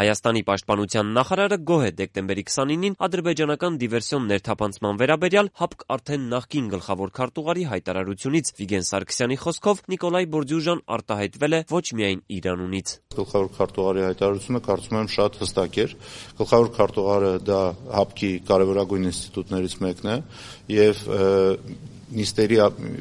Հայաստանի պաշտպանության նախարարը գոհ է դեկտեմբերի 29-ին ադրբեջանական դիվերսիոն ներթափանցման վերաբերյալ ՀԱՊԿ արդեն նախկին գլխավոր քարտուղարի հայտարարությունից։ Վիգեն Սարգսյանի խոսքով Նիկոլայ Բորդյուժան արտահայտվել է ոչ միայն իր անունից։ Գլխավոր քարտուղարի հայտարարությունը կարծում եմ շատ հստակ էր։ Գլխավոր քարտուղարը դա ՀԱՊԿ-ի կարևորագույն ինստիտուտներից մեկն է եւ նիստերի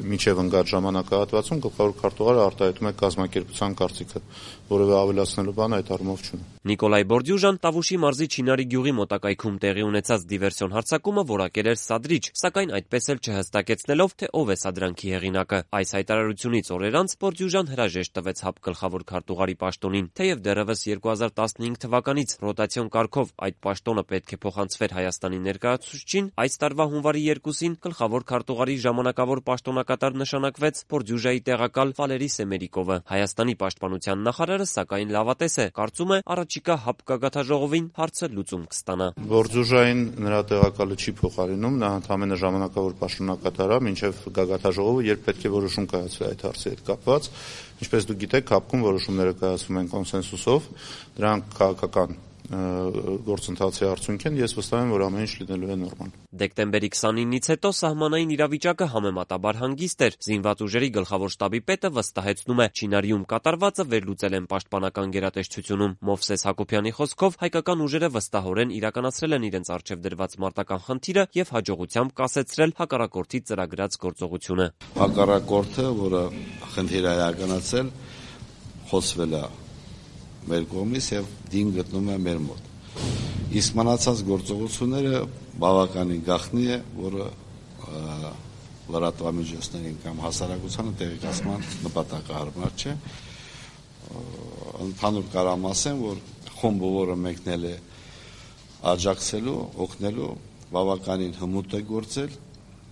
մինչև ընկած ժամանակահատվածում գլխավոր քարտուղարը արտահայտում է կազմակերպության կարծիքը, որևէ ավելացնելու բան այդ առումով չունի։ Նիկոլայ Բորդյուժան Տավուշի մարզի Չինարի գյուղի մոտակայքում տեղի ունեցած դիվերսիոն հարձակումը որակել էր սադրիչ, սակայն այդպես էլ չհստակեցնելով, թե ով է սադրանքի հեղինակը։ Այս հայտարարությունից օրեր անց Բորդյուժան հրաժեշտ տվեց ՀԱՊԿ գլխավոր քարտուղարի պաշտոնին, թեև դեռևս 2015 թվականից ռոտացիոն կարգով այդ պաշտոնը պետք է փոխանցվեր Հայաստանի ներկայացուցչին, այս տարվա հունվարի 2-ին գլխավոր քարտուղարի ժամանակավոր պաշտոնակատար նշանակվեց Բորդյուժայի տեղակալ Վալերի Սեմերիկովը։ Հայաստանի պաշտպանության նախարարը սակայն լավատես է, կարծում է առաջիկա ՀԱՊԿ գագաթաժողովին հարցը լուծում կստանա։ Բորդյուժային նրա տեղակալը չի փոխարինում, նա ընդամենը ժամանակավոր պաշտոնակատար է, մինչև գագաթաժողովը երբ պետք է որոշում կայացվի այդ հարցի հետ կապված։ Ինչպես դուք գիտեք, ՀԱՊԿ-ում որոշումները կայացվում են կոնսենսուսով, դրանք քաղաքական գործընթացի արդյունք են, ես վստահ եմ, որ ամեն ինչ լինելու է նորմալ։ Դեկտեմբերի 29-ից հետո սահմանային իրավիճակը համեմատաբար հանգիստ էր։ Զինված ուժերի գլխավոր շտաբի պետը վստահեցնում է, Չինարիում կատարվածը վերլուծել են պաշտպանական գերատեսչությունում։ Մովսես Հակոբյանի խոսքով հայկական ուժերը վստահորեն իրականացրել են իրենց առջև դրված մարտական խնդիրը եւ հաջողությամբ կասեցրել հակառակորդի ծրագրած գործողությունը։ Հակառակորդը, որը խնդիր է իրականացել, խոցվել է մեր կողմից եւ դին գտնում է մեր մոտ։ Իսկ մնացած գործողությունները բավականին գաղտնի է, որը լրատվամիջոցներին կամ հասարակությանը տեղեկացման նպատակահարմար չէ։ Ընդհանուր կարամ ասեմ, որ խումբը, որը մեկնել է աջակցելու, օգնելու, բավականին հմուտ է գործել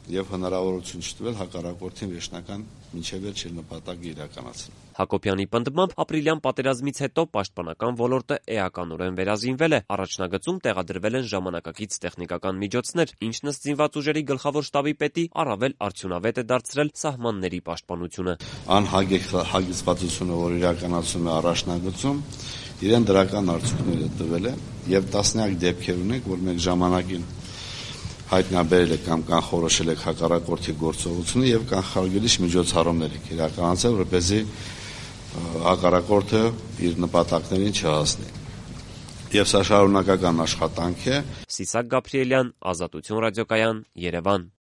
եւ հնարավորություն չտվել հակառակորդին վերջնական մինչեւ վերջել նպատակը իրականացնել։ Հակոբյանի պնդմամբ ապրիլյան պատերազմից հետո պաշտպանական ոլորտը էականորեն վերազինվել է, առաջնագծում տեղադրվել են ժամանակակից տեխնիկական միջոցներ, ինչն ըստ զինված ուժերի գլխավոր շտաբի պետի առավել արդյունավետ է դարձրել սահմանների պաշտպանությունը։ Անհագեցվածությունը, որ իրականացում է առաջնագծում, իրեն դրական արդյունքներ է տվել եւ տասնյակ դեպքեր ունենք, որ մենք ժամանակին հայտնաբերել եք կամ կանխորոշել եք հակառակորդի գործողությունը եւ կանխարգելիչ միջոցառումներ եք իրականացրել, որպեսզի հակառակորդը իր նպատակներին չհասնի։ Եվ սա շարունակական աշխատանք է։ Սիսակ Գաբրիելյան, Ազատություն ռադիոկայան, Երևան։